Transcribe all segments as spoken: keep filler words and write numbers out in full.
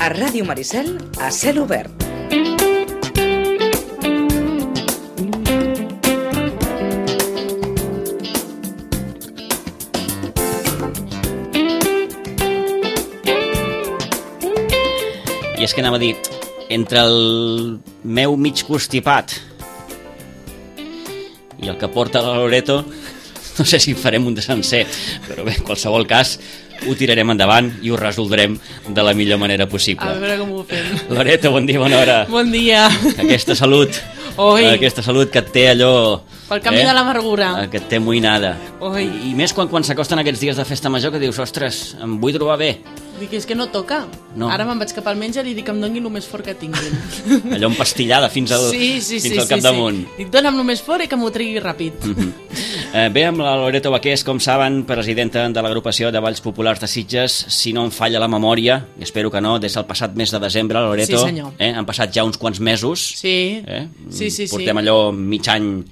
A Ràdio Maricel, a cel obert. I és que anava a dir, entre el meu mig constipat i el que porta la Loreto, no sé si farem un de sencer, però bé, en qualsevol cas, ho tirarem endavant i ho resoldrem de la millor manera possible. A veure com ho fem. Loreto, bon dia, bona hora. Bon dia. Aquesta salut, Oi. aquesta salut que et té allò... Pel camí eh? de l'amargura. Que et té moïnada. Oi. I més quan, quan s'acosten aquests dies de festa major que dius, ostres, em vull trobar bé. Dic, és que no toca. No. Ara me'n vaig cap al menjar i dic que em doni el més fort que tinguin. Allò empastillada fins al, sí, sí, fins sí, al capdamunt. Sí, sí. Dic, dona'm el més fort i que m'ho tregui ràpid. Mm -hmm. eh, bé, amb la Loreto Baqués, com saben, presidenta de l'agrupació de Balls Populars de Sitges, si no em falla la memòria, i espero que no, des del passat mes de desembre, Loreto, sí, senyor. Eh, han passat ja uns quants mesos. Sí, eh? sí, sí. Portem sí. allò mig any...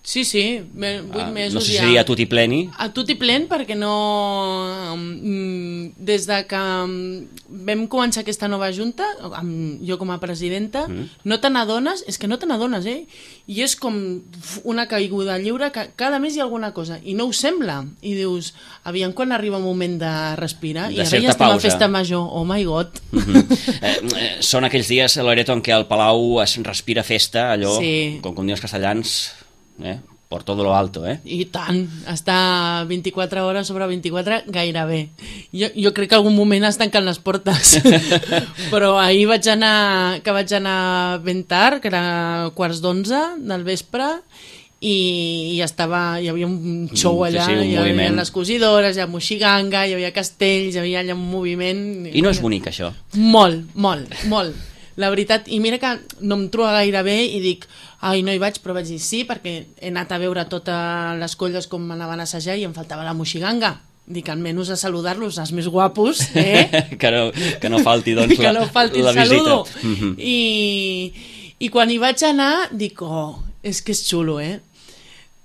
Sí, sí, vuit ah, mesos no sé si ja. seria a tutti pleni. A tutti plen perquè no... Des de que vam començar aquesta nova junta, amb jo com a presidenta, mm. no te n'adones, és que no te n'adones, eh? I és com una caiguda lliure, que cada mes hi ha alguna cosa, i no ho sembla. I dius, aviam quan arriba un moment de respirar, de i ara certa ja estem pausa. a festa major, oh my god. Mm -hmm. eh, eh, són aquells dies, Loreto, en què al Palau es respira festa, allò, sí. com, com diuen els castellans... Eh? Por todo lo alto, eh? I tant, està vint-i-quatre hores sobre vint-i-quatre gairebé. Jo, jo crec que algun moment es tanquen les portes. Però ahir vaig anar, que vaig anar ben tard, que era quarts d'onze del vespre, i, i estava, hi havia un show allà, sí, sí, un hi havia moviment. les cosidores, hi havia moixiganga, hi havia castells, hi havia allà un moviment... I no és bonic, això? Molt, molt, molt. La veritat, i mira que no em trobo gaire bé i dic, ai, no hi vaig, però vaig dir sí, perquè he anat a veure totes les colles com anaven a assajar i em faltava la moixiganga. Dic, almenys a saludar-los, els més guapos, eh? que, no, que no falti, doncs, que no falti la, el la saludo. visita. Mm -hmm. I, I quan hi vaig anar, dic, oh, és que és xulo, eh?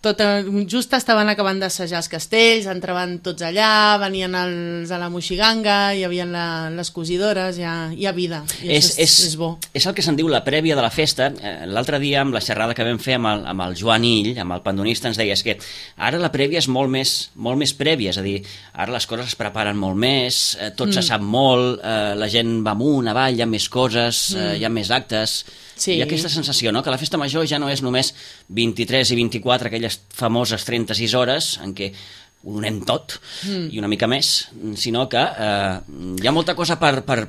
Tot, just estaven acabant d'assajar els castells, entraven tots allà, venien els a la moixiganga, hi havia la, les cosidores, hi ha, hi ha vida, i és, això és, és, és bo. És el que se'n diu la prèvia de la festa. L'altre dia, amb la xerrada que vam fer amb el, amb el Joan Ill, amb el pandonista, ens deia és que ara la prèvia és molt més, molt més prèvia, és a dir, ara les coses es preparen molt més, tot mm. se sap molt, eh, la gent va amunt, avall, hi ha més coses, mm. eh, hi ha més actes... Sí. Hi ha aquesta sensació, no?, que la festa major ja no és només vint-i-tres i vint-i-quatre, aquelles famoses trenta-sis hores en què ho donem tot mm. i una mica més, sinó que eh, hi ha molta cosa per, per,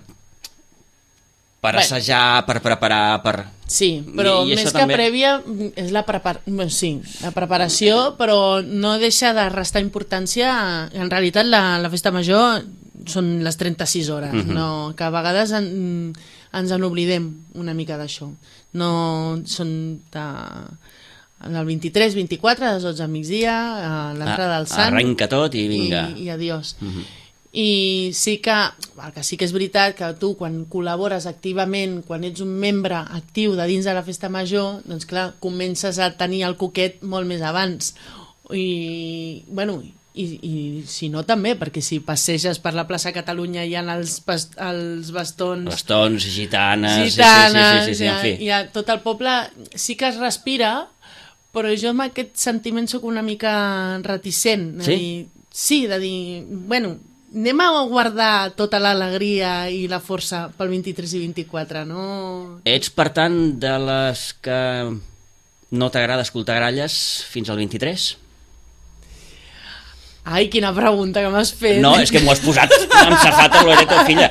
per Bé. assajar, per preparar, per... Sí, però I, i més que també... prèvia és la, prepar... bueno, sí, la preparació, però no deixa de restar importància. En realitat la, la festa major són les trenta-sis hores, mm-hmm. no? Que a vegades en, ens en oblidem una mica d'això. No són de... el vint-i-tres, vint-i-quatre, a les dotze al migdia, l'entrada del Sant... Arrenca tot i vinga. I, i adiós. Mm-hmm. I sí que, el que sí que és veritat que tu quan col·labores activament, quan ets un membre actiu de dins de la festa major, doncs clar, comences a tenir el coquet molt més abans. I, bueno... I, i si no també, perquè si passeges per la plaça Catalunya hi ha els, els bastons bastons, gitanes, gitanes sí, sí, sí, sí, sí, hi, ha, en fi. hi ha tot el poble, sí que es respira, però jo amb aquest sentiment sóc una mica reticent de sí? dir, sí, de dir, bueno, anem a guardar tota l'alegria i la força pel vint-i-tres i vint-i-quatre, no? Ets, per tant, de les que no t'agrada escoltar gralles fins al vint-i-tres? Ai, quina pregunta que m'has fet. No, és que m'ho has posat amb safata, Loreto, filla.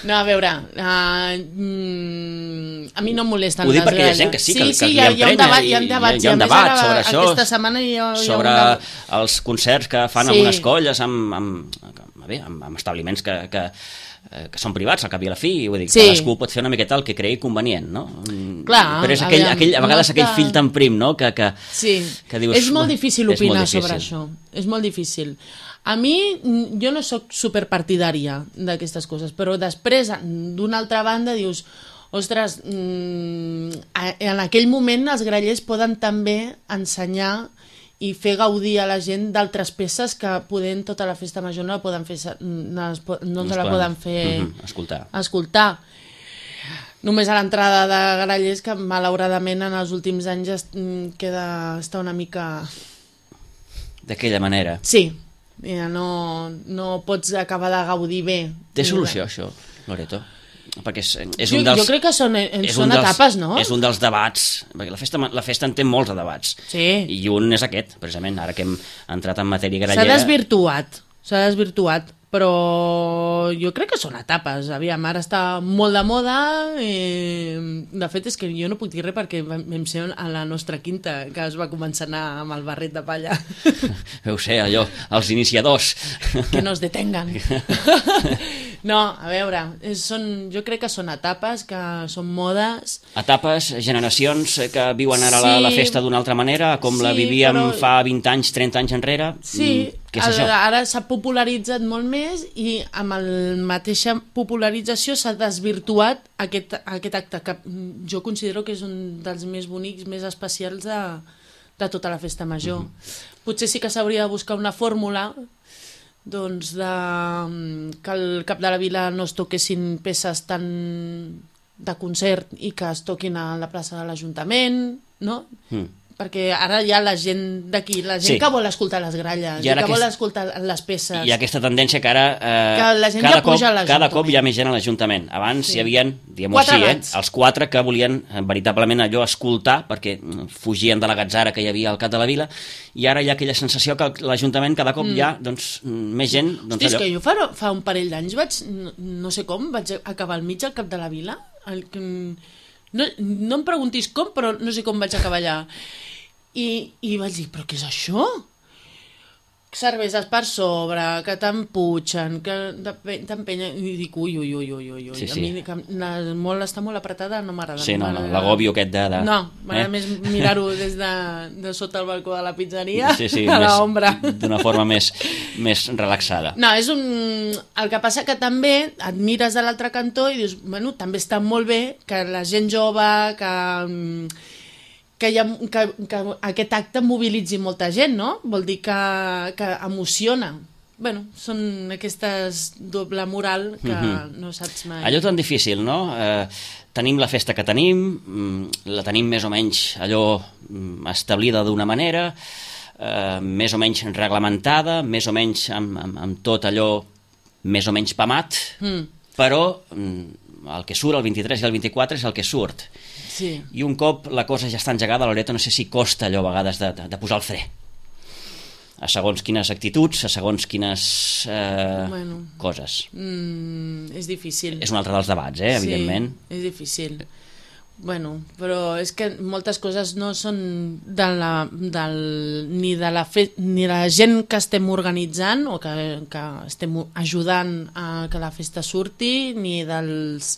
No, a veure, uh, mm, a mi no em molesten les gralles. Ho dic perquè hi ha gent que sí, que, sí, que, que hi ha, hi ha un debat, hi ha un debat, hi ha un debat ara, sobre això, aquesta setmana hi ha, sobre hi ha un... els concerts que fan sí. amb unes colles, amb, amb, bé, amb, amb establiments que... que que són privats, al cap i a la fi, vull dir, sí. cadascú pot fer una miqueta el que cregui convenient, no? Clar, però és aquell, aviam, aquell, a vegades no aquell fill tan prim, no? Que, que, sí. que dius... És molt difícil opinar molt difícil. sobre això, és molt difícil. A mi, jo no sóc superpartidària d'aquestes coses, però després, d'una altra banda, dius, ostres, en aquell moment els grallers poden també ensenyar i fer gaudir a la gent d'altres peces que podent tota la festa major no la poden fer, no, no ens la poden fer mm-hmm, escoltar. escoltar. Només a l'entrada de Grallers, que malauradament en els últims anys es, queda, està una mica... D'aquella manera. Sí, ja no, no pots acabar de gaudir bé. Té solució, això, Loreto? Perquè és, és jo, un dels, jo crec que són, són dels, etapes, no? És un dels debats, perquè la festa, la festa en té molts de debats, sí. I un és aquest, precisament, ara que hem entrat en matèria grallera. S'ha desvirtuat, s'ha desvirtuat, però jo crec que són etapes. Aviam, ara està molt de moda, i de fet és que jo no puc dir res perquè vam ser a la nostra quinta, que es va començar a anar amb el barret de palla. Veu ser, allò, els iniciadors. Que no es detengan. No, a veure, és, són, jo crec que són etapes, que són modes. Etapes, generacions que viuen ara sí, la, la festa d'una altra manera, com sí, la vivíem però... fa vint anys, trenta anys enrere. Sí, què és el, això? Ara s'ha popularitzat molt més i amb la mateixa popularització s'ha desvirtuat aquest, aquest acte, que jo considero que és un dels més bonics, més especials de, de tota la festa major. Mm-hmm. Potser sí que s'hauria de buscar una fórmula doncs de, que al cap de la vila no es toquessin peces tan de concert i que es toquin a la plaça de l'Ajuntament, no? Mm. Perquè ara hi ha la gent d'aquí, la gent sí. que vol escoltar les gralles, i, i que aquest... vol escoltar les peces. Hi ha aquesta tendència que ara eh, que la gent cada, ja puja cop, cada cop hi ha més gent a l'Ajuntament. Abans sí. hi havia, diguem-ho així, eh, els quatre que volien eh, veritablement allò escoltar, perquè fugien de la gatzara que hi havia al cap de la vila, i ara hi ha aquella sensació que l'Ajuntament cada cop mm. hi ha doncs, més gent. Doncs, Hosti, allò... és que jo fa, fa un parell d'anys vaig, no, no sé com, vaig acabar al mig al cap de la vila. El, no, no em preguntis com, però no sé com vaig acabar allà. I, i vaig dir, però què és això? Cerveses per sobre, que t'emputxen, que t'empenyen, i dic, ui, ui, ui, ui, ui, sí, sí. a mi que la, molt, està molt apretada, no m'agrada. Sí, no, no, l'agòbio aquest de... de... No, m'agrada eh? més mirar-ho des de, de sota el balcó de la pizzeria, sí, sí, a l'ombra. D'una forma més, més relaxada. No, és un... El que passa que també et mires de l'altre cantó i dius, bueno, també està molt bé que la gent jove, que... Que, ha, que, que aquest acte mobilitzi molta gent, no? Vol dir que, que emociona. Bueno, són aquestes doble moral que mm-hmm. no saps mai. Allò tan difícil, no? Eh, tenim la festa que tenim, la tenim més o menys allò establida d'una manera, eh, més o menys reglamentada, més o menys amb, amb, amb tot allò més o menys pamat, mm. però el que surt el vint-i-tres i el vint-i-quatre és el que surt. Sí. I un cop la cosa ja està engegada, Loreto, no sé si costa allò a vegades de, de, de posar el fre. A segons quines actituds, a segons quines eh, bueno, coses. Mm, és difícil. És un altre dels debats, eh, evidentment. Sí, és difícil. Bueno, però és que moltes coses no són de la, del, ni, de la fe, ni de la gent que estem organitzant o que, que estem ajudant a que la festa surti, ni dels...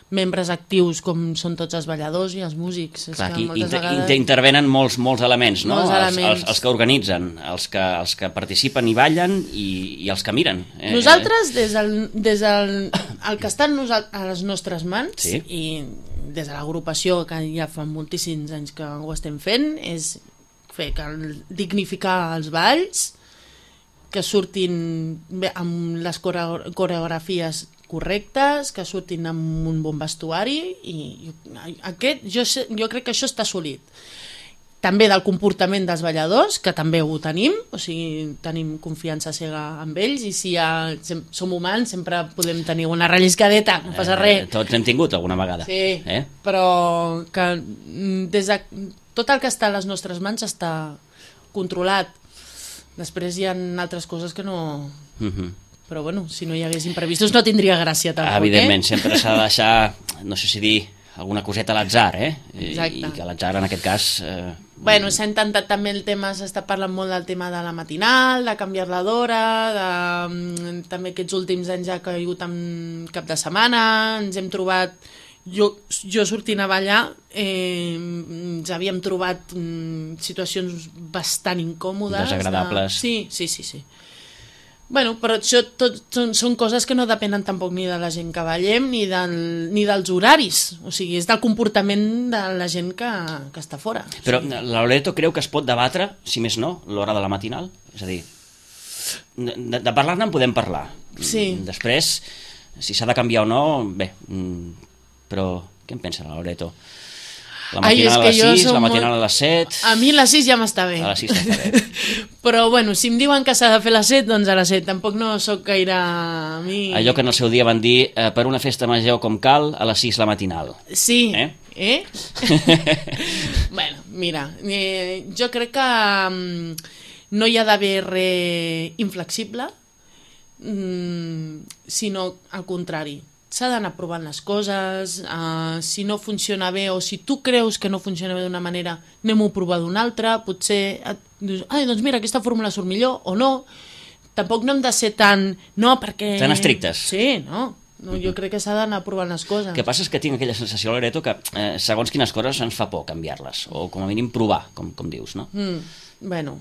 membres actius com són tots els balladors i els músics. Clar, és que aquí inter vegades... intervenen molts, molts elements, no? Molts els, elements. Els, els que organitzen, els que, els que participen i ballen i, i els que miren. Eh? Nosaltres, des del, des del el que està a les nostres mans, sí. i des de l'agrupació, que ja fa moltíssims anys que ho estem fent, és fer que dignificar els balls, que surtin bé, amb les coreografies correctes, que surtin amb un bon vestuari, i aquest, jo, jo crec que això està assolit. També del comportament dels balladors, que també ho tenim, o sigui, tenim confiança cega amb ells, i si ja som humans sempre podem tenir una relliscadeta, no passa res. Eh, tots hem tingut alguna vegada. Sí, eh? però que des de, tot el que està a les nostres mans està controlat. Després hi ha altres coses que no... Uh-huh. Però bueno, si no hi hagués imprevistos no tindria gràcia tampoc, evidentment, eh? sempre s'ha de deixar, no sé si dir, alguna coseta a l'atzar, eh? Exacte. I que l'atzar en aquest cas... Eh... Bueno, s'ha intentat també el tema, s'està parlant molt del tema de la matinal, de canviar-la d'hora, de... també aquests últims anys ha caigut en cap de setmana, ens hem trobat... Jo, jo sortint a ballar eh, ens havíem trobat mm, situacions bastant incòmodes. Desagradables. De... Sí, sí, sí, sí. Bueno, però això tot són, són coses que no depenen tampoc ni de la gent que ballem ni, del, ni dels horaris, o sigui, és del comportament de la gent que, que està fora. Però o sigui... la Loreto creu que es pot debatre, si més no, l'hora de la matinal? És a dir, de, de parlar-ne en podem parlar. Sí. Després, si s'ha de canviar o no, bé, però què en pensa la Loreto? La matinal Ai, a les sis, la matinal molt... a les set... A mi a les sis ja m'està bé. A les sis està bé. Però, bueno, si em diuen que s'ha de fer a les set, doncs a les set. Tampoc no sóc gaire... A mi... Allò que en el seu dia van dir, eh, per una festa major com cal, a les sis la matinal. Sí. Eh? Eh? Bueno, mira, eh, jo crec que um, no hi ha d'haver res inflexible, um, sinó al contrari. S'ha d'anar provant les coses, uh, si no funciona bé o si tu creus que no funciona bé d'una manera, anem-ho a provar d'una altra, potser et dius, ai, doncs mira, aquesta fórmula surt millor o no. Tampoc no hem de ser tan... No, perquè... Tan estrictes. Sí, no. no jo crec que s'ha d'anar provant les coses. El que passa és que tinc aquella sensació, Loreto, que eh, segons quines coses ens fa por canviar-les, o com a mínim provar, com, com dius, no? Mm, bueno...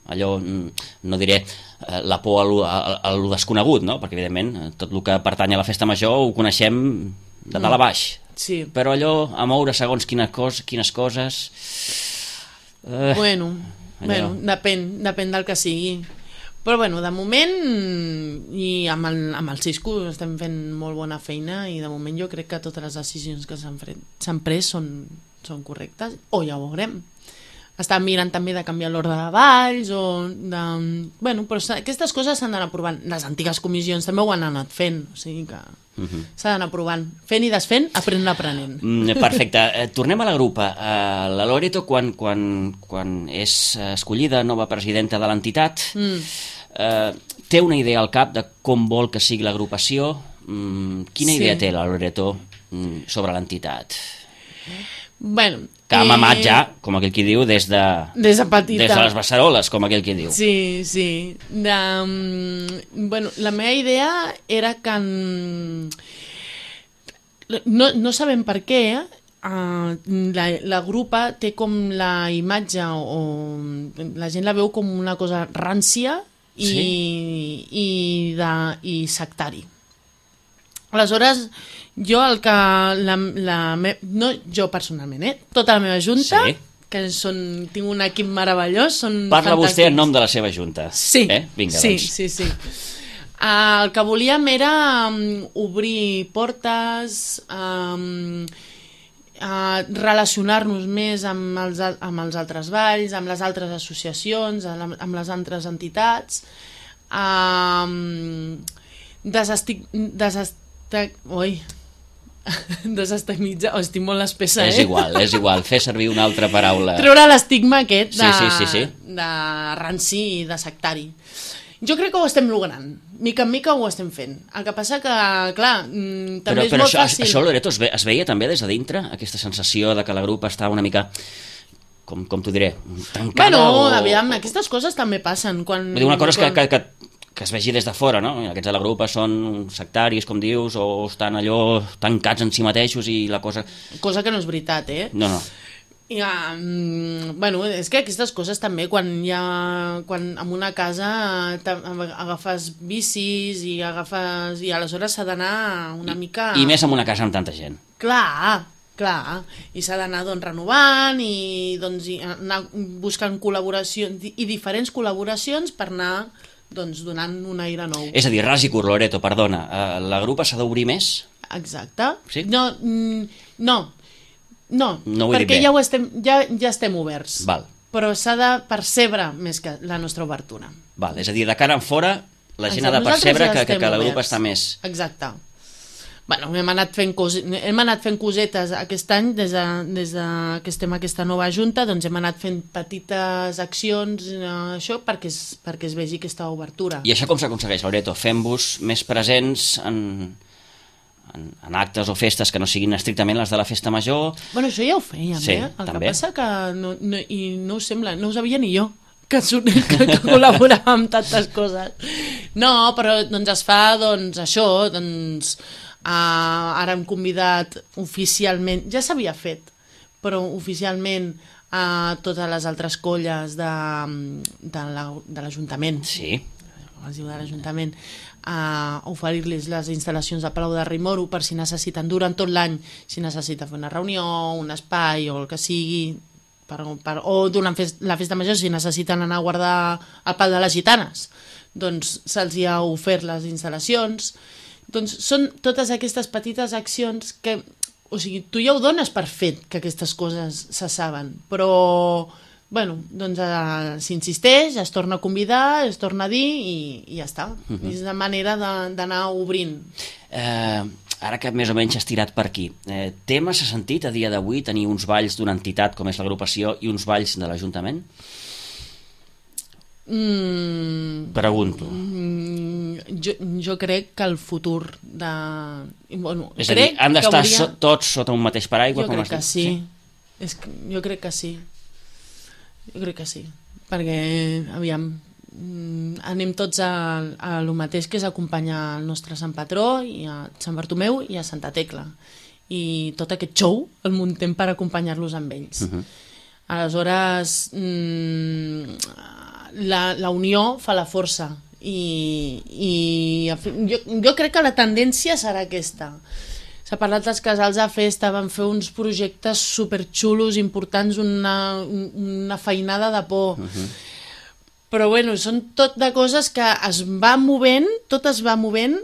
Allò, no diré eh, la por a lo, a, a lo desconegut, no? Perquè, evidentment, tot el que pertany a la festa major ho coneixem de dalt a baix. Sí. Però allò, a moure segons quines, cos, quines coses... Eh, bueno, allò... bueno, depèn, depèn del que sigui. Però, bueno, de moment, i amb el, amb el Cisco estem fent molt bona feina i de moment jo crec que totes les decisions que s'han pres són, són correctes, o ja ho veurem. Estàvem mirant també de canviar l'ordre de balls o de... Bueno, però aquestes coses s'han d'anar provant. Les antigues comissions també ho han anat fent, o sigui que uh-huh. s'ha d'anar provant. Fent i desfent, aprenent aprenent. Mm, perfecte. Eh, tornem a la grupa. Eh, la Loreto, quan, quan, quan és escollida nova presidenta de l'entitat, mm. eh, té una idea al cap de com vol que sigui l'agrupació? Mm, quina sí. idea té la Loreto mm, sobre l'entitat? Bueno, que ha mamat ja, com aquell qui diu, des de, des de petita. Des de les beceroles, com aquell qui diu. Sí, sí. De, um, bueno, la meva idea era que... Um, no, no sabem per què, uh, la, la grupa té com la imatge, o, o la gent la veu com una cosa rància i, sí? i, de, i sectari. Aleshores, jo el que... La, la me... No jo personalment, eh? Tota la meva junta, sí. que són, tinc un equip meravellós, són Parla fantàstics. Vostè en nom de la seva junta. Sí, eh? Vinga, sí, doncs. sí, sí. Uh, el que volíem era um, obrir portes, um, uh, relacionar-nos més amb els, amb els altres balls, amb les altres associacions, amb les altres entitats, um, desestic... desestic Ui, desestigmatizar, oh, estic molt espessa, eh? És igual, és igual, fer servir una altra paraula. Treure l'estigma aquest de, sí, sí, sí, sí. de ranci i de sectari. Jo crec que ho estem logrant, mica en mica ho estem fent. El que passa que, clar, també però, és però molt això, fàcil... Això, Loreto, es, ve, es veia també des de dintre, aquesta sensació de que la grup està una mica... Com, com t'ho diré? Tancada bueno, o... aviam, aquestes coses també passen. Quan, Vull dir, una cosa quan... que... que, que que es vegi des de fora, no? Aquests de la grupa són sectaris, com dius, o estan allò tancats en si mateixos i la cosa... Cosa que no és veritat, eh? No, no. I, um, bueno, és que aquestes coses també, quan hi ha... Quan en una casa agafes bicis i agafes... I aleshores s'ha d'anar una I, mica... I més en una casa amb tanta gent. Clar, clar. I s'ha d'anar doncs, renovant i doncs, i anar buscant col·laboracions i diferents col·laboracions per anar... doncs donant un aire nou. És a dir, ras i curt, Loreto, perdona, uh, la grupa s'ha d'obrir més? Exacte. Sí? No, mm, no, no, no perquè ja, ho estem, ja, ja estem oberts. Val. Però s'ha de percebre més que la nostra obertura. Val, és a dir, de cara en fora, la gent ha de percebre ja que, que, que la grupa està més... Exacte. Bueno, hem anat fent, cos... hem anat fent cosetes aquest any, des de, des de que estem a aquesta nova junta, doncs hem anat fent petites accions, eh, això, perquè es, perquè es vegi aquesta obertura. I això com s'aconsegueix, Loreto? Fem-vos més presents en, en, en actes o festes que no siguin estrictament les de la festa major? Bueno, això ja ho fèiem, sí, eh? El també. que passa que no, no, i no us sembla, no ho sabia ni jo, que, que, que col·laborava amb tantes coses. No, però doncs es fa, doncs, això, doncs... Uh, ara hem convidat oficialment, ja s'havia fet, però oficialment a totes les altres colles de, de l'Ajuntament. Sí. es diu de l'Ajuntament, a oferir-los les instal·lacions de Palau de Rimoro per si necessiten durant tot l'any, si necessita fer una reunió, un espai o el que sigui, per, per, o durant fest, la festa major si necessiten anar a guardar el pal de les gitanes, doncs se'ls ha ofert les instal·lacions. Doncs són totes aquestes petites accions que, o sigui, tu ja ho dones per fet que aquestes coses se saben, però, bueno, doncs eh, s'insisteix, es torna a convidar, es torna a dir i, i ja està. Uh -huh. És la manera d'anar obrint. Eh, ara que més o menys has tirat per aquí, eh, té massa sentit a dia d'avui tenir uns balls d'una entitat com és l'agrupació i uns balls de l'Ajuntament? Mm, Pregunto. Mm, jo, jo crec que el futur de... Bueno, és a dir, han d'estar hauria... so, tots sota un mateix paraigua? Jo com crec que sí. sí? És que, jo crec que sí. Jo crec que sí. Perquè, aviam, anem tots a, a lo mateix, que és acompanyar el nostre Sant Patró i a Sant Bartomeu i a Santa Tecla. I tot aquest show el muntem per acompanyar-los amb ells. Uh-huh. Aleshores... Mm, La, la unió fa la força i, i jo, jo crec que la tendència serà aquesta. S'ha parlat dels casals de festa, van fer uns projectes superxulos, importants, una, una feinada de por. Uh-huh. Però bueno, són tot de coses que es va movent, tot es va movent,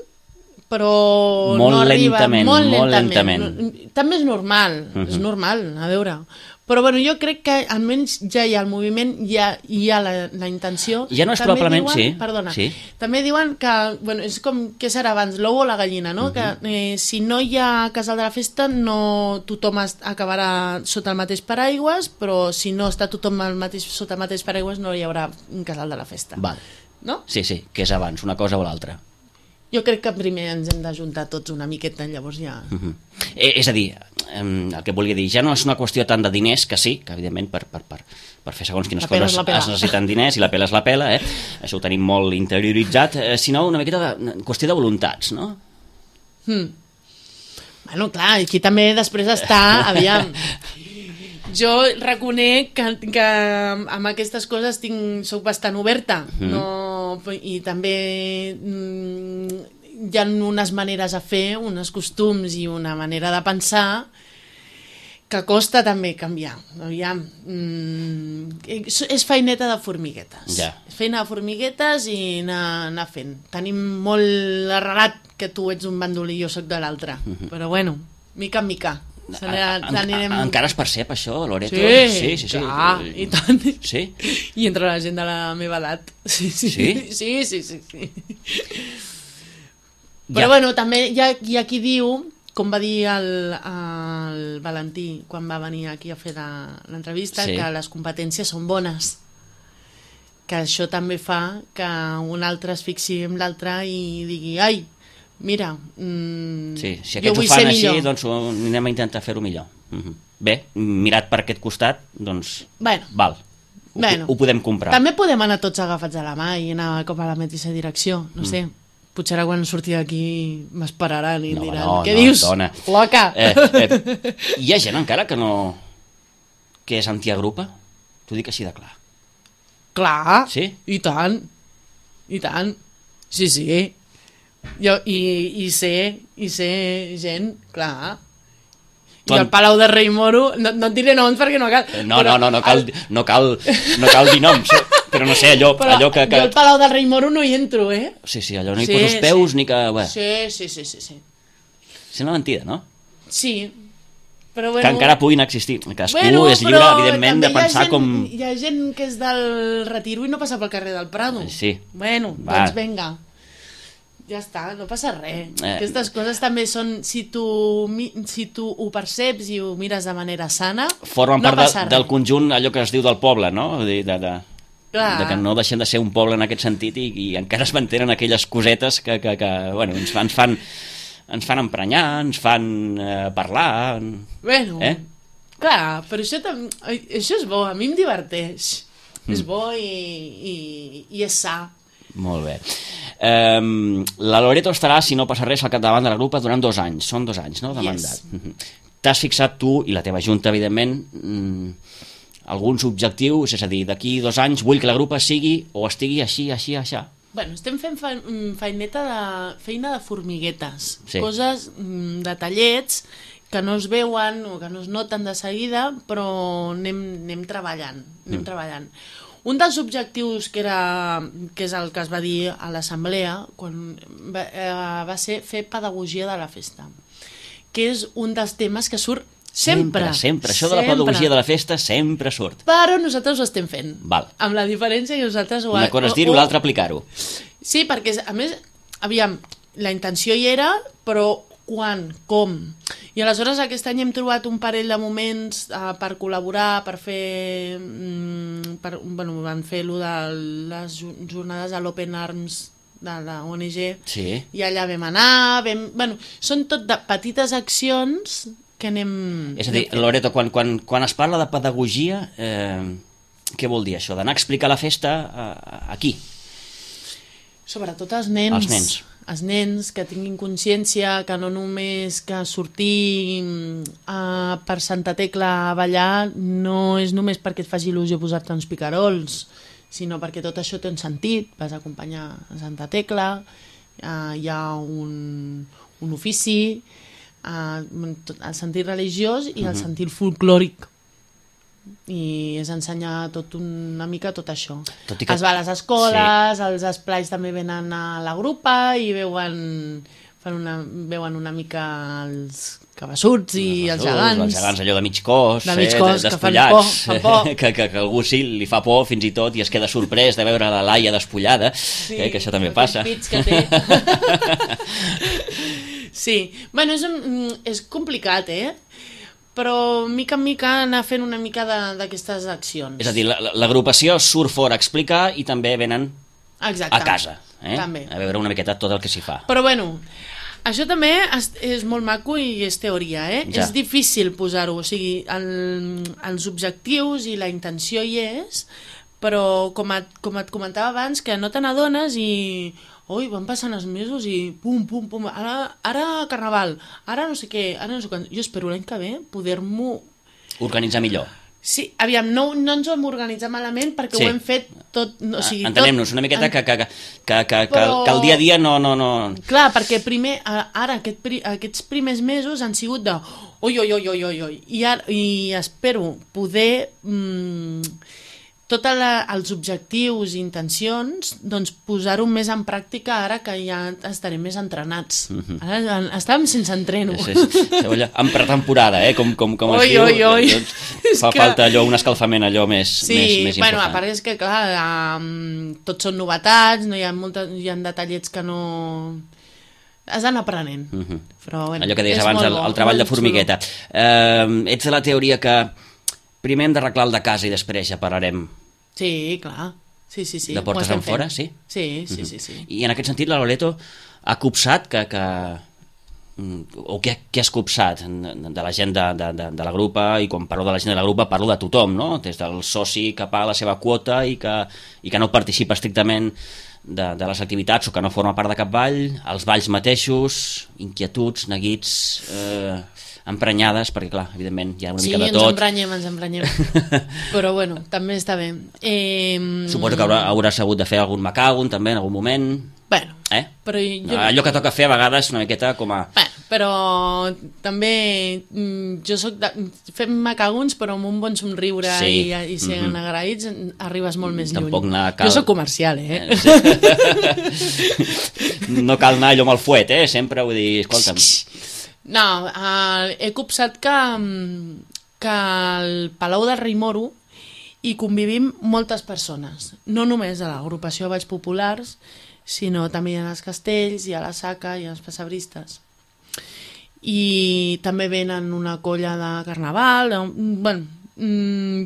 però molt no arriba. Lentament, molt molt lentament. lentament. També és normal, uh-huh. és normal, a veure... Però bueno, jo crec que almenys ja hi ha el moviment, ja hi ha la, la intenció. Ja no és també probablement, diuen, sí. Perdona, sí. També diuen que, bueno, és com, què serà abans, l'ou o la gallina, no? Uh-huh. Que eh, si no hi ha casal de la festa, no tothom acabarà sota el mateix paraigües, però si no està tothom al mateix, sota el mateix paraigües no hi haurà un casal de la festa. Val. No? Sí, sí, que és abans, una cosa o l'altra. Jo crec que primer ens hem d'ajuntar tots una miqueta, llavors ja... Uh-huh. eh, és a dir, eh, el que volia dir, ja no és una qüestió tant de diners, que sí, que evidentment per, per, per, per fer segons quines coses es necessiten diners i la pela és la pela, eh? Això ho tenim molt interioritzat, eh, sinó una miqueta de qüestió de voluntats, no? Hmm. Bueno, clar, aquí també després està, aviam... Jo reconec que, que amb aquestes coses tinc, soc bastant oberta, mm. no, i també mm, hi ha unes maneres a fer, uns costums i una manera de pensar que costa també canviar. Aviam, mm, és feineta de formiguetes. Ja. És feina de formiguetes i anar, anar fent. Tenim molt arrelat que tu ets un bandolí i jo soc de l'altre, mm-hmm. però bueno, mica en mica. A, en, anirem... Encara es percep això, Loreto? Sí, sí, sí, sí. Clar, i tant. Sí? I entre la gent de la meva edat. Sí, sí, sí, sí, sí, sí, sí. Però ja. Bueno, també hi ha, hi ha qui diu, com va dir el, el Valentí quan va venir aquí a fer l'entrevista, sí. que les competències són bones, que això també fa que un altre es fixi en l'altre i digui, ai, mira, mmm, sí, si aquests ho fan així, doncs anem a intentar fer-ho millor. Uh-huh. Bé, mirat per aquest costat, doncs bueno, val, ho, bueno, ho podem comprar. També podem anar tots agafats a la mà i anar com a la mateixa direcció, no mm. sé. Potser ara quan surti d'aquí m'esperaran i no, diran, no, què no, dius, dona. Loca? Eh, eh, hi ha gent encara que no... que és antiagrupa? T'ho dic així de clar. Clar, sí? I tant, i tant, sí, sí. Jo, i, i sé i sé gent, clar, i el Palau de Rei Moro no, no et diré noms perquè no cal no, però, no, no, no cal, el... no, cal, no cal dir noms, però no sé, allò, allò que, que... jo al Palau del Rei Moro no hi entro, eh? Sí, sí, allò no hi sí, poso els peus sí. ni que... Bé. Sí, sí, sí, sí, sí. Sembla mentida, no? Sí, però bueno... Que encara puguin existir, cadascú bueno, és lliure, evidentment, de pensar gent, com... Hi ha gent que és del Retiro i no passa pel carrer del Prado. Sí. Bueno, Va. doncs vinga. Ja està, no passa res. Eh. Aquestes coses també són, si tu, si tu ho perceps i ho mires de manera sana, formen no part passa de, res. Del conjunt, allò que es diu del poble, no? De, de, de, de que no deixem de ser un poble en aquest sentit i, i encara es mantenen aquelles cosetes que, que, que bueno, ens, ens fan ens fan emprenyar, ens fan eh, parlar... Bueno, eh? clar, però això, tam... això és bo, a mi em diverteix. Mm. És bo i, i, i és sa. Molt bé. Um, la Loreto estarà, si no passa res, al capdavant de la grupa durant dos anys. Són dos anys, no?, de yes. mandat. Mm-hmm. T'has fixat tu, i la teva junta, evidentment, mm, alguns objectius, és a dir, d'aquí dos anys vull que la grupa sigui o estigui així, així, així. Bueno, estem fent fe feineta de, feina de formiguetes, Sí. coses, mm, detallets que no es veuen o que no es noten de seguida, però anem, anem treballant, anem mm. treballant. Un dels objectius que, era, que és el que es va dir a l'assemblea quan va, eh, va ser fer pedagogia de la festa, que és un dels temes que surt sempre. Sempre, sempre. Això de la pedagogia de la festa sempre surt. Però nosaltres ho estem fent. Val. Amb la diferència que nosaltres... Ho, Una cosa és dir-ho, l'altra aplicar-ho. Sí, perquè a més, aviam, la intenció hi era, però quan, com? I aleshores aquest any hem trobat un parell de moments uh, per col·laborar, per fer... Mm, per, bueno, van fer allò de les jornades a l'Open Arms de la O N G, Sí. i allà vam anar, vam, bueno, són tot de petites accions que anem... És a dir, Loreto, quan, quan, quan es parla de pedagogia, eh, què vol dir això? D'anar a explicar la festa eh, aquí? Sobretot als nens. Als nens. Els nens que tinguin consciència que no només que sortir uh, per Santa Tecla a ballar no és només perquè et faci il·lusió posar-te uns picarols, sinó perquè tot això té un sentit. Vas a acompanyar a Santa Tecla, uh, hi ha un, un ofici, uh, el sentit religiós i el uh-huh. sentit folclòric. I és ensenyar tot una mica tot això. Tot que... Es va a les escoles, sí. Els esplais també venen a la grupa i veuen, fan una, veuen una mica els cabassuts i els, els gegants. Els gegants allò de mig cos, de mig cos eh, despullats, que fan por, fan por. Que, que, que algú sí li fa por fins i tot i es queda sorprès de veure la Laia despullada, sí, eh, que això també passa. Pits que té. Sí, bueno, és, un, és complicat, eh? Però mica en mica anar fent una mica d'aquestes accions. És a dir, l'agrupació surt fora a explicar i també venen Exacte. A casa, eh? També. A veure una miqueta tot el que s'hi fa. Però bueno, això també és, és molt maco i és teoria, eh? Ja. És difícil posar-ho, o sigui, el, els objectius i la intenció hi és, però com et, com et comentava abans, que no te n'adones i... Ui, van passant els mesos i pum, pum, pum, ara, ara carnaval, ara no sé què, ara no sé quan... Jo espero l'any que ve poder-m'ho... Organitzar millor. Sí, aviam, no, no ens ho hem organitzat malament perquè sí. Ho hem fet tot... O sigui, entenem-nos, una miqueta en... que, que, que, que, que, Però... que el dia a dia no... no, no... Clar, perquè primer, ara aquest, aquests primers mesos han sigut de... Ui, ui, ui, ui, ui, ui. I, ara, i espero poder... Mmm, tots els objectius i intencions, doncs posar-ho més en pràctica ara que ja estarem més entrenats. Mm-hmm. Ara estàvem sense entreno. Sí, sí, sí. En pretemporada, eh? com, com, com oi, es diu. Oi, oi. Doncs fa que... falta allò, un escalfament allò més, sí, més, més bueno, important. A part és que, clar, um, tots són novetats, no hi ha, molta, hi ha detallets que no... Has d'anar aprenent. Mm-hmm. Però, bueno, allò que deies abans, el, el treball de formigueta. Uh, ets de la teoria que primer hem d'arreglar el de casa i després ja parlarem. Sí, clar. Sí, sí, sí. De portes en fora, sí? Sí, sí, uh-huh. sí, sí. I en aquest sentit la Loreto ha copsat que... que o què, què has copsat de la gent de, de, de, de la grupa, i quan parlo de la gent de la grupa parlo de tothom, no? Des del soci que paga la seva quota i que, i que no participa estrictament de, de les activitats o que no forma part de cap ball, els balls mateixos, inquietuds, neguits... Eh, emprenyades, perquè clar, evidentment hi ha una sí, mica de tot. Sí, ens emprenyem, ens emprenyem. Però bueno, també està bé. Eh... Suposo que haurà, hauràs hagut de fer algun macagon també en algun moment. Bueno, eh? però jo... allò que toca fer a vegades una miqueta com a... Bueno, però també jo soc de... fem macagons però amb un bon somriure sí. i, i sent mm-hmm. agraïts arribes molt més Tampoc lluny. Cal... Jo soc comercial, eh? No cal anar allò amb el fuet, eh? Sempre vull dir, escolta'm... No, uh, he copsat que, que al Palau del Rei Moro hi convivim moltes persones, no només a l'agrupació de balls populars, sinó també a les castells, i a la Saca, i als pessebristes. I també venen una colla de carnaval, bueno, mm,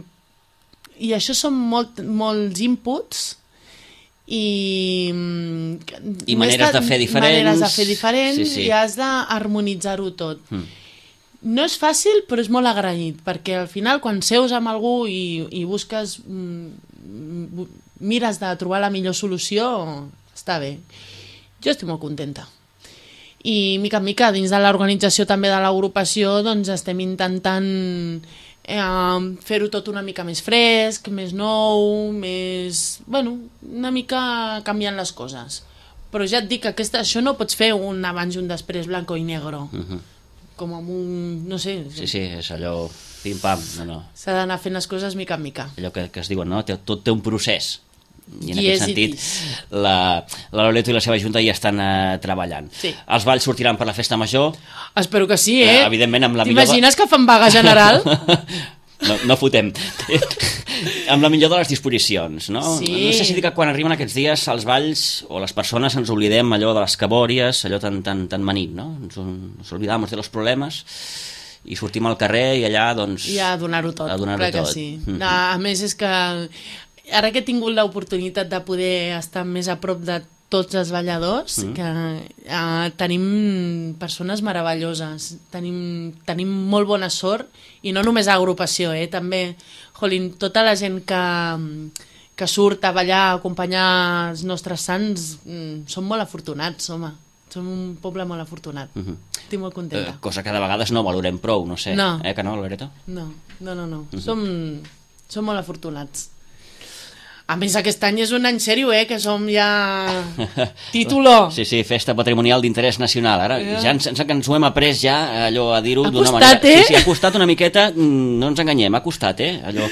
i això són molt, molts inputs, i, i maneres de fer diferents, maneres de fer diferents sí, sí. I has d'harmonitzar-ho tot. Mm. No és fàcil, però és molt agraït, perquè al final quan seus amb algú i, i busques, mires de trobar la millor solució, està bé. Jo estic molt contenta. I mica en mica, dins de l'organització també de l'agrupació, doncs estem intentant eh, fer-ho tot una mica més fresc, més nou, més... Bueno, una mica canviant les coses. Però ja et dic que aquesta, això no pots fer un abans i un després blanco i negro. Uh -huh. Com amb un... no sé... Sí, sí, és allò... pim-pam, no, no. S'ha d'anar fent les coses mica en mica. Allò que, que es diuen, no? Tot té un procés. I en Yes, aquest sentit, la, la Loreto i la seva junta ja estan uh, treballant. Sí. Els balls sortiran per la festa major. Espero que sí, eh? Uh, evidentment, amb la millor... T'imagines que fan vaga general? No, no fotem. Amb la millor de les disposicions, no? Sí. No sé si dir que quan arriben aquests dies als balls o les persones ens oblidem allò de les cabòries, allò tan, tan, tan manit, no? Ens, ens oblidamos de los problemes i sortim al carrer i allà, doncs... I a donar-ho tot, a donar-ho clar que tot. sí. Mm-hmm. A més, és que ara que he tingut l'oportunitat de poder estar més a prop de tots els balladors, mm. que uh, tenim persones meravelloses, tenim, tenim molt bona sort, i no només a l'agrupació, eh? També, jolín, tota la gent que, que surt a ballar, a acompanyar els nostres sants, mm, som molt afortunats, home. Som un poble molt afortunat. Mm -hmm. Estic molt contenta. Eh, cosa que de vegades no valorem prou, no sé. No. Eh, que no, Loreto? No, no, no. no. Mm -hmm. som, som molt afortunats. A més, aquest any és un any sèrio, eh? Que som ja... Título! Sí, sí, festa patrimonial d'interès nacional. Ara yeah. ja ens, ens, ens ho hem après ja, allò a dir-ho d'una manera... Ha costat, eh? Sí, sí, ha costat una miqueta, no ens enganyem, ha costat, eh? Allò...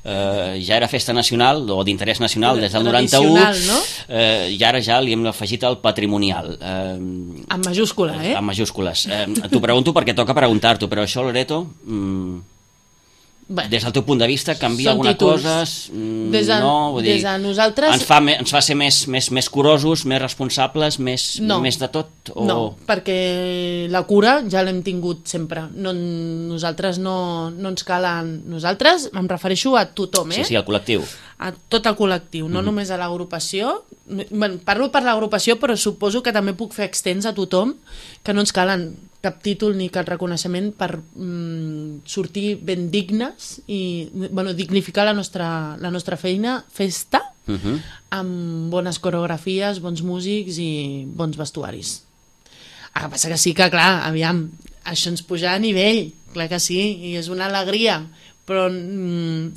Uh, ja era festa nacional o d'interès nacional des del noranta-u, no? uh, i ara ja li hem afegit el patrimonial. Uh, amb majúscula, eh? Amb majúscules. Uh, T'ho pregunto perquè toca preguntar-t'ho, però això, Loreto... Um, Bueno, des del teu punt de vista canvia alguna títols. cosa? Des de, no, vull dir, des de nosaltres... Ens fa, ens fa ser més, més, més curosos, més responsables, més, no. més de tot? O... No, perquè la cura ja l'hem tingut sempre. No, nosaltres no, no ens calen... Nosaltres, em refereixo a tothom, eh? Sí, sí, al col·lectiu. A tot el col·lectiu, no mm. només a l'agrupació. Bueno, parlo per l'agrupació, però suposo que també puc fer extens a tothom, que no ens calen cap títol ni cap reconeixement per mm, sortir ben dignes i bueno, dignificar la nostra, la nostra feina, festa, uh -huh. amb bones coreografies, bons músics i bons vestuaris. El que passa que sí que, clar, aviam, això ens puja a nivell, clar que sí, i és una alegria, però mm,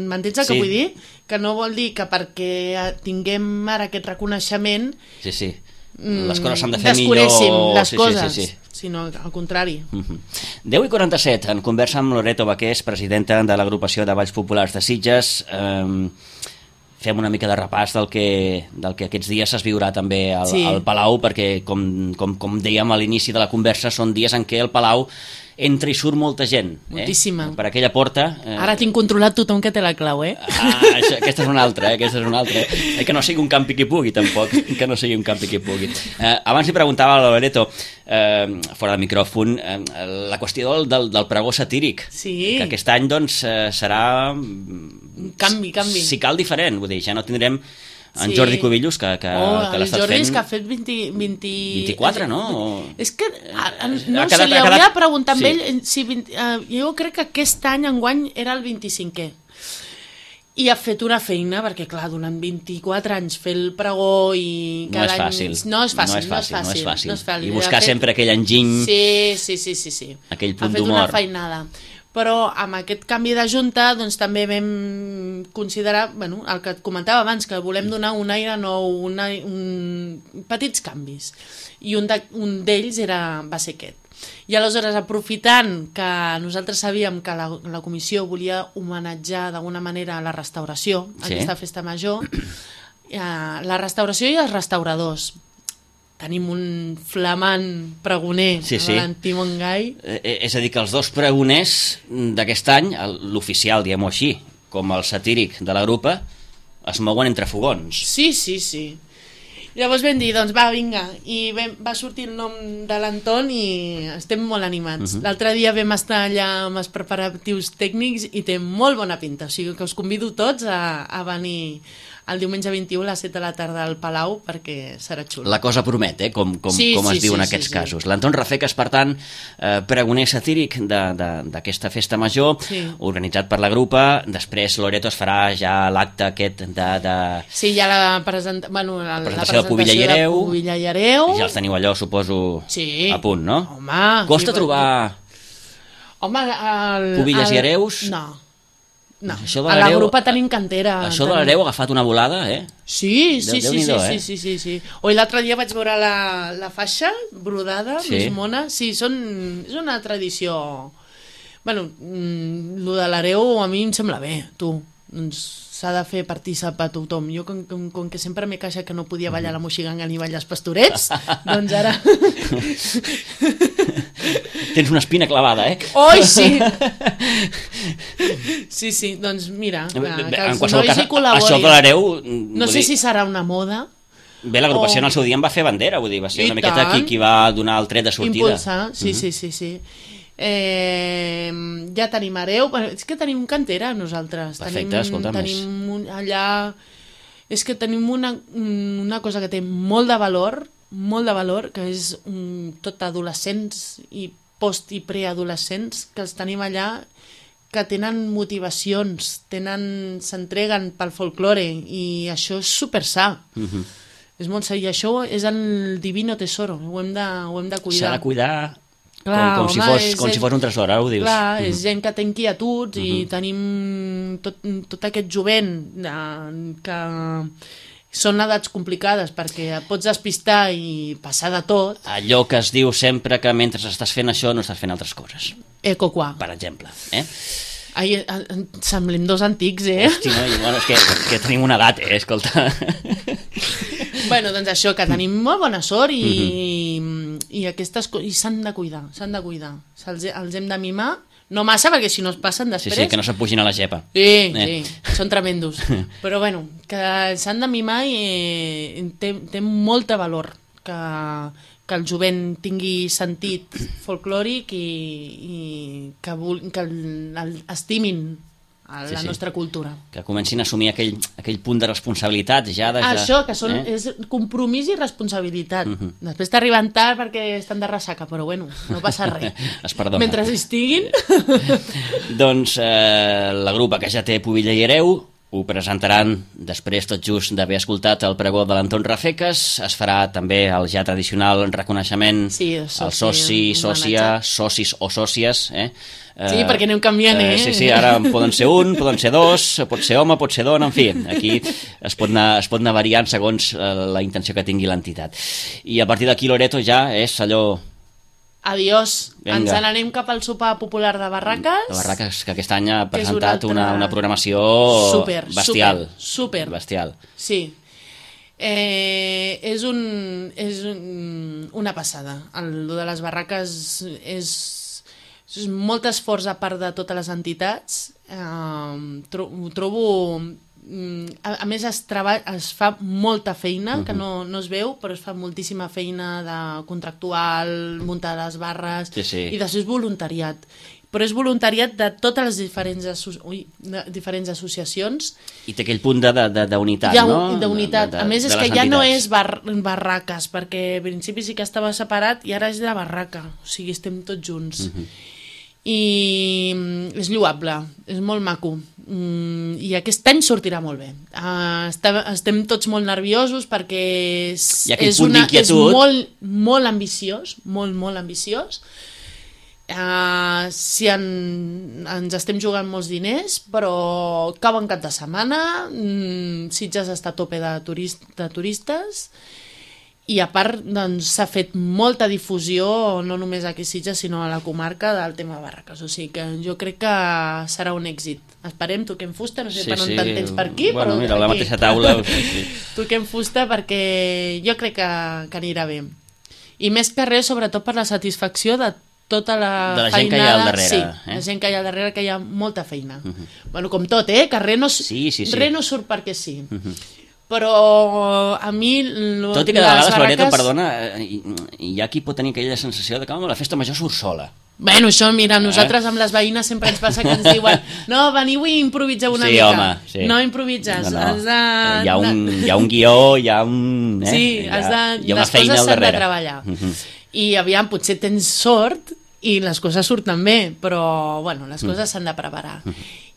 m'entens el que sí. vull dir? Que no vol dir que perquè tinguem ara aquest reconeixement... Sí, sí. Les coses s'han de fer millor... Desconessin les sí, coses, sí, sí, sí. sinó al contrari. Uh-huh. deu i quaranta-set, en conversa amb Loreto Baqués, presidenta de l'agrupació de Balls Populars de Sitges. Um, fem una mica de repàs del que, del que aquests dies es viurà també al, sí. al Palau, perquè, com, com, com dèiem a l'inici de la conversa, són dies en què el Palau entra i surt molta gent. Moltíssima. Eh? Per aquella porta... Eh... Ara tinc controlat tothom que té la clau, eh? Ah, això, aquesta és una altra, eh? Aquesta és una altra. Eh? Que no sigui un campi qui pugui, tampoc. Que no sigui un campi qui pugui. Eh, abans li preguntava a la Loreto, eh, fora de micròfon, eh, la qüestió del, del, del pregó satíric. Sí. Que aquest any, doncs, eh, serà... Canvi, canvi. Si cal, diferent. Vull dir, ja no tindrem... En sí. Jordi Cubillos, que, que, oh, que l'ha estat fent... El Jordi és que ha fet vint, vint... vint-i-quatre, no? O... És que a, a, no ha sé, quedat, li hauria quedat... de preguntar amb sí. ell si vint, uh, jo crec que aquest any enguany era el vint-i-cinquè i ha fet una feina, perquè clar, durant vint-i-quatre anys fer el pregó i no cada és fàcil. any... No és fàcil, no és fàcil, no és fàcil. No és fàcil. I buscar fet... sempre aquell enginy... Sí, sí, sí, sí, sí. Aquell punt d'humor. Ha fet d'humor. una feinada. Però amb aquest canvi de junta doncs, també vam considerar, bueno, el que et comentava abans, que volem donar un aire nou, una, un, petits canvis. I un d'ells de, era va ser aquest. I aleshores, aprofitant que nosaltres sabíem que la, la comissió volia homenatjar d'alguna manera la restauració, sí. aquesta festa major, eh, la restauració i els restauradors. Tenim un flamant pregoner, sí, sí. Valentí Montgai. Eh, és a dir, que els dos pregoners d'aquest any, l'oficial, diguem-ho així, com el satíric de la grupa, es mouen entre fogons. Sí, sí, sí. Llavors vam dir, doncs va, vinga, i vam, va sortir el nom de l'Anton i estem molt animats. Uh -huh. L'altre dia vam estar allà amb els preparatius tècnics i té molt bona pinta, o sigui que us convido tots a, a venir el diumenge vint-i-u a les set de la tarda al Palau perquè serà xulo. La cosa promet, eh? com, com, sí, com es sí, diu sí, en aquests sí, casos. sí. L'Anton Rafecas, per tant, eh, pregoner satíric d'aquesta festa major, sí. organitzat per la grupa. Després Loreto es farà ja l'acte aquest de, de... Sí, ja la, presenta... bueno, la, la presentació, la presentació de Pubilla i Hereu. Pubilla i Hereu. Ja els teniu allò, suposo, sí. a punt, no? Home, costa i... trobar... Home, el... Pubilles el... i Hereus? No. No, Això de a la l'hereu- grupa tenim cantera. Això de tenim- l'hereu ha agafat una volada, eh? Sí, sí, Déu- sí, sí, Déu-n'hi-do, sí, eh? sí, sí, sí. Oi, l'altre dia vaig veure la, la faixa brodada, Sí. més mona. Sí, són, és una tradició... Bueno, mm, lo de l'hereu a mi em sembla bé, tu. Doncs s'ha de fer partícip a tothom. Jo, com, com, com que sempre m'he queixat que no podia ballar la moixiganga ni ballar els pastorets, doncs ara... Tens una espina clavada, eh? Oi, sí! Sí, sí, doncs mira, que, que En els qualsevol nois cas, hi col·laborin. això de l'hereu... No sé si serà una moda, Bé, l'agrupació o- en el seu dia en va fer bandera, vull dir, va ser I una miqueta tant. qui, qui va donar el tret de sortida. impulsar, sí, sí, sí, sí. Eh, ja tenim hereu, bueno, és que tenim cantera nosaltres. Perfecte, tenim, escolta, tenim un, allà... És que tenim una, una cosa que té molt de valor, molt de valor, que és um, tot adolescents i post- i preadolescents, que els tenim allà, que tenen motivacions, tenen, s'entreguen pel folklore, i això és super sa. Mhm. És molt sa, i això és el divino tesoro, ho hem de, ho hem de S'ha cuidar. de cuidar Clar, com, com, si home, fos, és- com si fos un tresor, ara ho dius. Clar, Mhm. és gent que té inquietuds i tenim tot, tot aquest jovent eh, que són edats complicades perquè et pots despistar i passar de tot. Allò que es diu sempre que mentre estàs fent això no estàs fent altres coses, Eco qua. per exemple. Eh? Ai, eh, eh, semblem dos antics, eh? Hosti, no? I, bueno, és que, que tenim una edat, eh? Escolta. Bueno, doncs això, que tenim molt bona sort i, i aquestes coses, i s'han de cuidar, s'han de cuidar. Se'ls, els hem de mimar, no massa, perquè si no es passen Sí, després... sí, que no se'n pugin a la gepa. Sí, Eh. sí, són tremendos. Però bueno, que s'han de mimar i eh, té, té molt de valor que, que el jovent tingui sentit folclòric i, i que, vul, que el, el, estimin a Sí, la sí. nostra cultura. Que comencin a assumir aquell, aquell punt de responsabilitat ja de... Això, que són, eh? és compromís i responsabilitat. Després t'arriben tard perquè estan de ressaca, però bueno, no passa res. Es perdona. Mentre hi estiguin... Doncs eh, la grupa que ja té Pubilla i Hereu ho presentaran després tot just d'haver escoltat el pregó de l'Anton Rafeques. Es farà també el ja tradicional reconeixement Sí, el soci, al soci, un sòcia, homenatge. socis o sòcies. Eh? Sí, perquè anem canviant, eh? Sí, sí, ara en poden ser un, poden ser dos, pot ser home, pot ser dona, en fi, aquí es pot anar, es pot anar variant segons eh, la intenció que tingui l'entitat. I a partir d'aquí Loreto ja és allò... Adiós. Vinga. Ens n'anem cap al sopar popular de Barraques. La Barraques, que aquest any ha Que és un presentat altre- una, una programació Súper, bestial. súper, súper. Bestial. Sí. Eh, és un, és un, una passada. El lo de les barraques és, és molt esforç a part de totes les entitats. Eh, tro, ho trobo... mm, A, a més, es, treball, es fa molta feina, que no, no es veu, però es fa moltíssima feina de contractual, muntar les barres, Sí, sí. i després voluntariat. Però és voluntariat de totes les diferents, asso ui, de, diferents associacions. I té aquell punt de- de- de- d'unitat, Hi ha no? un- d'unitat. De- de- A més, de és que les ja no entitats. és bar barraques, perquè al principi sí que estava separat i ara és de barraca. O sigui, estem tots junts. I mm, és lloable, és molt maco. Mm, I aquest any sortirà molt bé. Uh, estem, estem tots molt nerviosos perquè és, Hi ha aquell és, punt una, és d'inquietud. molt, molt ambiciós, molt, molt ambiciós. Uh, si en, ens estem jugant molts diners, però cau en cap de setmana, mm, Sitges està a tope de, turist, de turistes, i a part doncs, s'ha fet molta difusió, no només aquí a Sitges, sinó a la comarca del tema barraques, o sigui que jo crec que serà un èxit. Esperem, toquem fusta, no sé Sí, per on sí. te'n tens per aquí, Bueno, però mira, a la aquí. mateixa taula, sí, sí. Toquem fusta perquè jo crec que, que anirà bé. I més que res, sobretot per la satisfacció de tota la De la gent que hi ha feinada. al darrere, Sí, eh? la gent que hi ha al darrere, que hi ha molta feina. Bueno, com tot, eh? Que res no, Sí, sí, sí. res no surt perquè sí. Però a mi... Lo, Tot i que de les vegades, Loreto, barraques- perdona, eh, hi, hi ha qui pot tenir aquella sensació de que home, la festa major surt sola. Bueno, això, mira, nosaltres amb les veïnes sempre ens passa que ens diuen no, veniu i improviseu una sí, mica. home, sí. No improvises, No, no. has de... Hi ha un, hi ha un guió, hi ha un... Eh? Sí, hi ha, has de, hi ha una les feina coses al s'han de darrere. treballar. Mhm. I aviam, potser tens sort i les coses surten bé, però bueno, les coses s'han de preparar.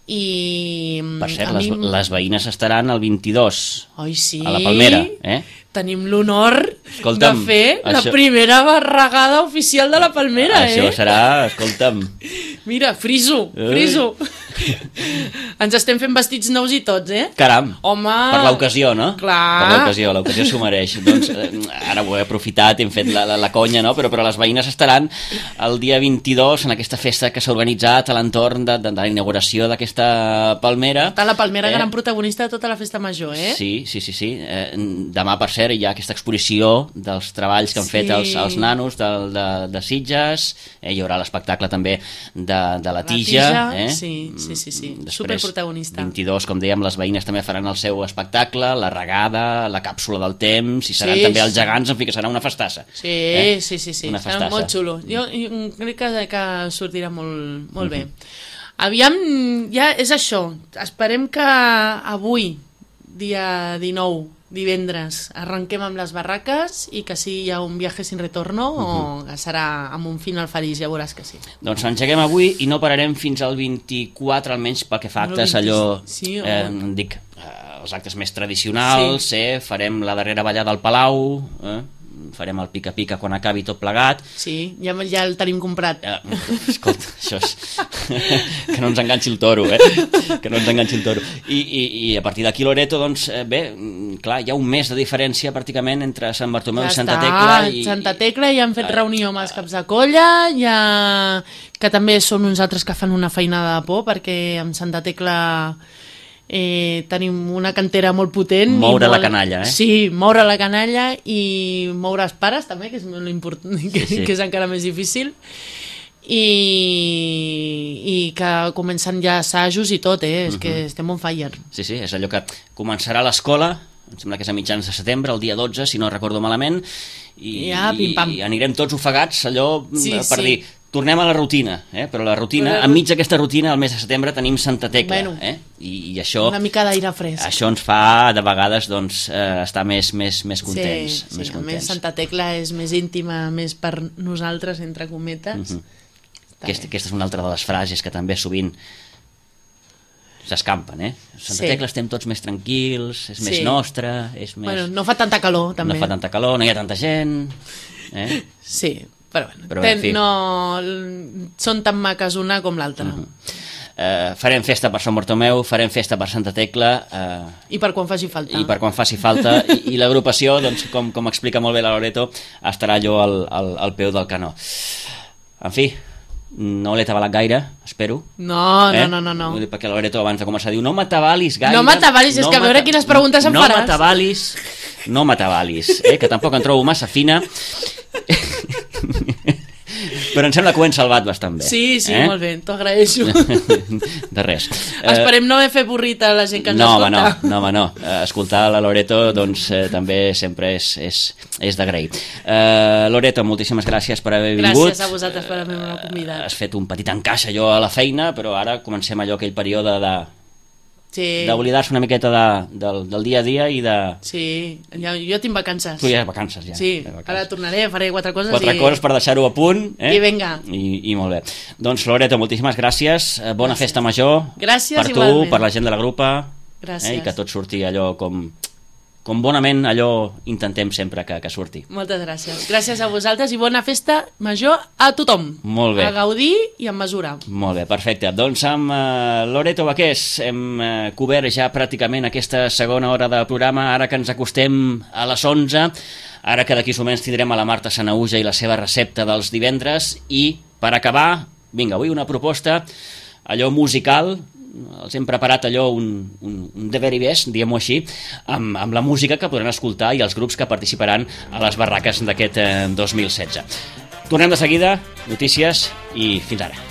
I Per cert, a les, mi... les veïnes estaran el vint-i-dos Oi, sí? a la Palmera, eh? tenim l'honor Escolta'm, de fer això... la primera barragada oficial de la Palmera, això eh? Això serà, escolta'm... Mira, friso, friso. Ens estem fent vestits nous i tots, eh? Caram, home... per l'ocasió, no? Clar. Per l'ocasió, l'ocasió s'ho mereix. Doncs eh, ara ho he aprofitat, hem fet la, la, la conya, no? Però, però les veïnes estaran el dia vint-i-dos en aquesta festa que s'ha organitzat a l'entorn de, de, de la inauguració d'aquesta palmera. Està la Palmera eh? gran protagonista de tota la festa major, eh? Sí, sí, sí. sí. Eh, demà, per cert, hi ha aquesta exposició dels treballs que han sí. fet els, els nanos de, de, de Sitges. Eh, hi haurà l'espectacle també de, de la Tija. La Tija, eh? sí, sí, sí. sí. Després, superprotagonista. vint-i-dos, com dèiem, les veïnes també faran el seu espectacle, la regada, la càpsula del temps, i seran sí, també els sí. gegants, en fi, que serà una festassa. Sí, eh? sí, sí, sí. Una serà festassa. molt xulo. Jo, jo crec que, que sortirà molt, molt Uh-huh. bé. Aviam, ja és això. Esperem que avui, dia dinou, divendres, arrenquem amb les barraques i que sí hi ha un viatge sin retorno uh-huh. o que serà amb un final feliç, ja veuràs que sí. Doncs engeguem avui i no pararem fins al vint-i-quatre, almenys pel que fa a actes, allò, sí, eh, dic, eh, els actes més tradicionals, sí. eh, farem la darrera ballada al Palau, eh, farem el pica-pica quan acabi tot plegat. Sí, ja, ja el tenim comprat. Eh, escolta, això és... que no ens enganxi el toro, eh? Que no ens enganxi el toro. I, i, i a partir d'aquí, Loreto, doncs, eh, bé, clar, hi ha un mes de diferència pràcticament entre Sant Bartomeu ja i Santa està. Tecla. I... Santa Tecla ja han fet reunió amb els caps de colla, ja... que també són uns altres que fan una feinada de por, perquè amb Santa Tecla... Eh, tenim una cantera molt potent moure i molt... la canalla, eh? Sí, moure la canalla i moure els pares també, que és molt important, que, sí, sí. que és encara més difícil, i, i que comencen ja assajos i tot, eh? És uh-huh. que estem on fire. Sí, sí, és allò que començarà l'escola, em sembla que és a mitjans de setembre, el dia dotze, si no recordo malament, i, ja, i, i anirem tots ofegats, allò sí, per sí. dir, tornem a la rutina, eh? Però la rutina, però... enmig d'aquesta rutina, al mes de setembre tenim Santa Tecla, bueno, eh? I, i això... Una mica d'aire fresc. Això ens fa, de vegades, doncs, eh, estar més, més, més contents. Sí, sí, més a contents. més Santa Tecla és més íntima, més per nosaltres, entre cometes. Uh-huh. Aquesta, aquesta és una altra de les frases que també sovint s'escampen, eh? Santa sí. Tecla estem tots més tranquils, és sí. més nostra, és més... Bueno, no fa tanta calor, també. No fa tanta calor, no hi ha tanta gent... Eh? Sí, però bueno, però, en fi. no... són tan maques una com l'altra. Uh-huh. eh, farem festa per Sant Bartomeu, farem festa per Santa Tecla... Eh, I per quan faci falta. I per quan faci falta, i, i l'agrupació, doncs, com, com explica molt bé la Loreto, estarà allò al, al, al peu del canó. En fi, no l'he atabalat gaire, espero. No, eh? no, no, no. Vull dir, perquè la Loreto abans de començar diu no m'atabalis gaire... No m'atabalis, és no que a veure quines preguntes em no faràs. No m'atabalis, no m'atabalis, eh? Que tampoc em trobo massa fina... Però em sembla que ho hem salvat bastant bé. Sí, sí, eh? molt bé, t'ho agraeixo. De res. Esperem no haver fet burrita a la gent que ens no, escolta. Home, no, no, home, no. Escoltar la Loreto doncs, eh, també sempre és, és, és d'agrair. Uh, Loreto, moltíssimes gràcies per haver vingut. Gràcies a vosaltres per haver-me convidat. Has fet un petit encaix allò a la feina, però ara comencem allò aquell període de... Sí. d'oblidar-se una miqueta de, del, del dia a dia i de... Sí, jo, jo tinc vacances. Tu ja has vacances, ja. Sí, vacances. ara tornaré, faré quatre coses quatre i... coses per deixar-ho a punt. Eh? I vinga. I, I molt bé. Doncs, Loreto, moltíssimes gràcies. Bona gràcies. Festa major. Gràcies, per tu, igualment. per la gent de la grupa. Gràcies. Eh? I que tot surti allò com... com bonament allò intentem sempre que, que surti. Moltes gràcies. Gràcies a vosaltres i bona festa major a tothom. Molt bé. A gaudir i amb mesura. Molt bé, perfecte. Doncs amb uh, Loreto Baqués hem uh, cobert ja pràcticament aquesta segona hora de programa, ara que ens acostem a les onze, ara que d'aquí uns moments tindrem a la Marta Sanahuja i la seva recepta dels divendres, i per acabar, vinga, avui una proposta allò musical. Els hem preparat allò un, un, un de very best, diguem-ho així, amb, amb la música que podran escoltar i els grups que participaran a les barraques d'aquest eh, dos mil setze. Tornem de seguida, notícies i fins ara.